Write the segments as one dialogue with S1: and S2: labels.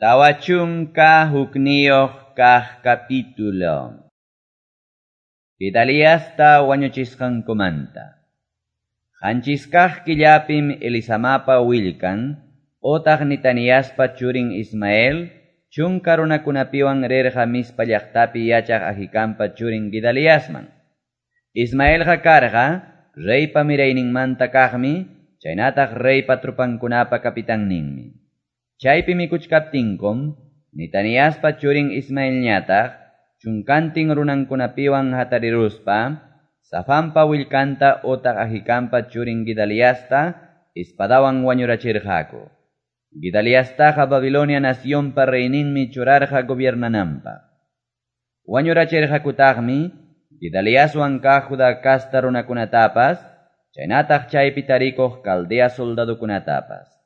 S1: 41 kaq capítulo. Gedaliasta wañuchisqankumanta. Qanchis kaq killapim Elisamapa willkan, otaq Netaniaspa churin Ismael, chunka runakunapiwan rirqa Mizpa llaqtapi yachaq Ahikampa churin Gedaliasman. Ismaelqa karqa reypa mirayninmanta kaqmi, chaynataq reypa trupankunapa kapitanninmi. Chaypi mikuchkaptinkum, Netaniaspa churin Ismaelñataq, chunkantin runankunapiwan hatariruspa, Safanpa willkanta otaq Ahikampa churin Gedaliasta espadawan wañurachirqaku. Gedaliastaqa Babilonia nacionpa reyninmi churarqa gobiernananpaq. Wañurachirqakutaqmi Gedaliaswan kaq Judá casta runakunatapas, chaynataq chaypi tarikuq Caldea soldadokunatapas.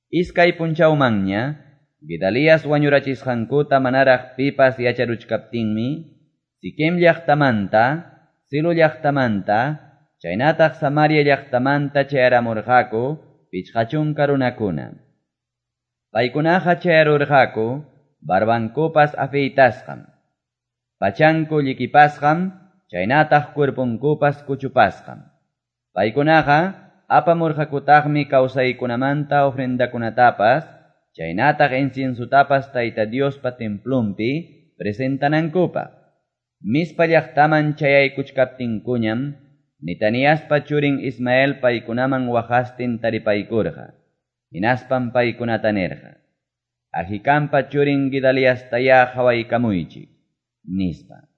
S1: Iskay punchawmanña, Gedalias wañurachisqankuta manaraq pipas yacharuchkaptinmi, Siquem llaqtamanta, Silo llaqtamanta, chaynataq Samaria llaqtamanta chayaramurqaku 50 runakuna. Paykunaqa chayarurqaku barbankupas afeitasqam, pachanku llikipasqam, chaynataq cuerponkupas kuchupasqam. Paykunaqa apamurqakutaqmi kawsaykunamanta ofrendakunatapas, chaynataq inciensutapas Tayta Diospa templonpi presentanankupaq. Mizpa llaqtaman chayaykuchkaptinkuñam, Netaniaspa churin Ismael paykunaman waqastin taripaykurqa. Hinaspam paykunata nirqa: Ahikampa churin Gedaliastayá qhawaykamuychik, nispa.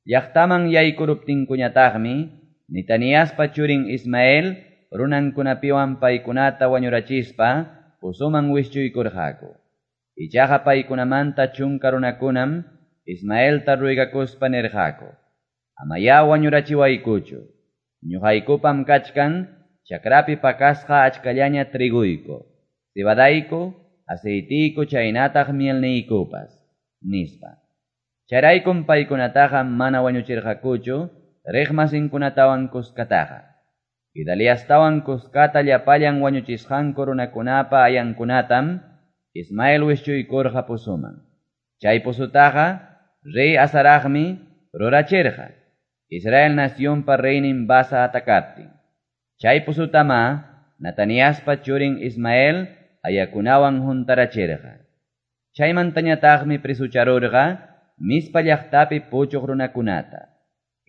S1: Llaqtaman yaykuruptinkuñataqmi, Netaniaspa churin Ismael runankunapiwan paykunata wañurachispa pozoman wischuykurqaku. Ichaqa paykunamanta 10 runakunam Ismaelta ruegakuspa nirqaku: Amayá wañurachiwaykuchu, ñuqaykupam kachkan chakrapi pakasqa achkallaña triguyku, cebadayku, aceitiyku chaynataq mielniykupas, nispa. Chayraykum paykunataqa mana wañuchirqakuchu riqmasinkunatawan kuskataqa. Gedaliastawan kuskata llapallan wañuchisqanku runakunapa ayankunatam Ismael wischuykurqa pozoman. Chay pozutaqa rey Asaraqmi rurachirqa, Israel nacionpa reynin Basa atakaptin. Chay pozutama Netaniaspa churin Ismael ayakunawan huntarachirqa. Chaymantañataqmi presucharurqa Mizpa llaqtapi puchuq runakunata,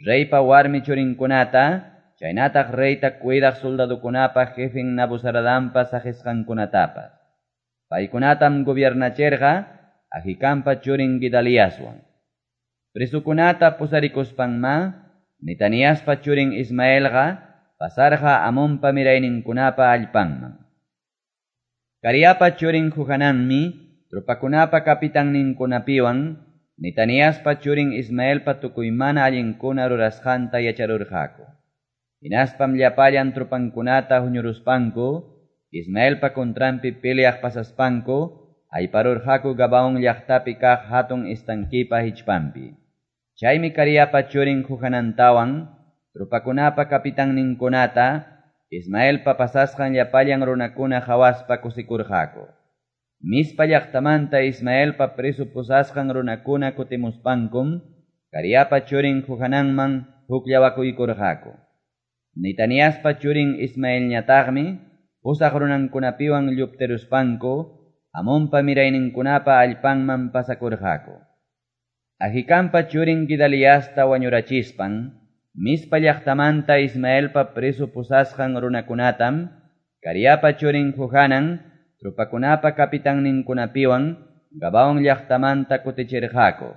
S1: reypa warmi churinkunata, chaynataq reyta cuidaq soldadokunapa jefen Nabuzaradanpa saqisqankunatapas. Paykunatam gobiernachirqa Ahikampa churin Gedaliaswan. Presukunata pusarikuspanma, Netaniaspa churin Ismaelqa pasarqa Amonpa mirayninkunapa allpanman. Careapa churin Johananmi tropakunapa kapitanninkunapiwan Netaniaspa churin Ismaelpa tukuy mana allinkuna rurasqanta yacharurqaku. Hinaspam llapallan tropankunata huñuruspanku, Ismaelpa contranpi peleaq pasaspanku, ayparurqaku Gabaón llaqtapi kaq hatun estanquipa hichpanpi. Chaymi Careapa churin Johanantawan, tropakunapa kapitanninkunata, Ismaelpa pasasqan llapallan runakuna qhawaspa kusikurqaku. Mizpa llaqtamanta Ismaelpa preso pusasqan runakuna kutimuspankum, Careapa churin Johananman hukllawakuykurqaku. Netaniaspa churin Ismaelñataqmi, pusaq runankunapiwan lluptiruspanku, Amonpa mirayninkunapa allpanman pasakurqaku. Ahikampa churin Gedaliasta wañurachispan, Mizpa llaqtamanta Ismaelpa preso pusasqan runakunatam, Careapa churin Johanan, tropakunapa kapitanninkunapiwan Gabaón llaqtamanta kutichirqaku.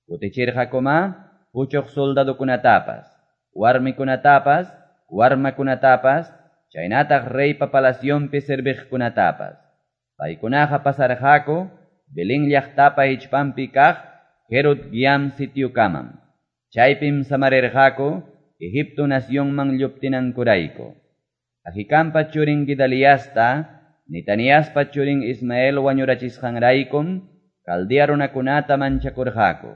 S1: Kutichirqakuma puchuq soldadokunatapas, warmikunatapas, warmakunatapas, chaynataq reypa palacionpi serviqkunatapas. Paykunaqa pasarqaku Belén llaqtapa hichpanpi kaq Herod Giam sitiokamam. Chaypim samarirqaku Egipto nacionman lluptinankurayku. Ahikampa churin Gedaliasta, Netaniaspa churin Ismael wañurachisqanraykum Caldea runakunata manchakurqaku.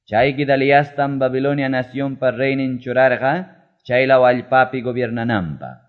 S1: Chay Gedaliastam Babilonia nacionpa reynin churarqa chaylaw allpapi gobiernananpaq.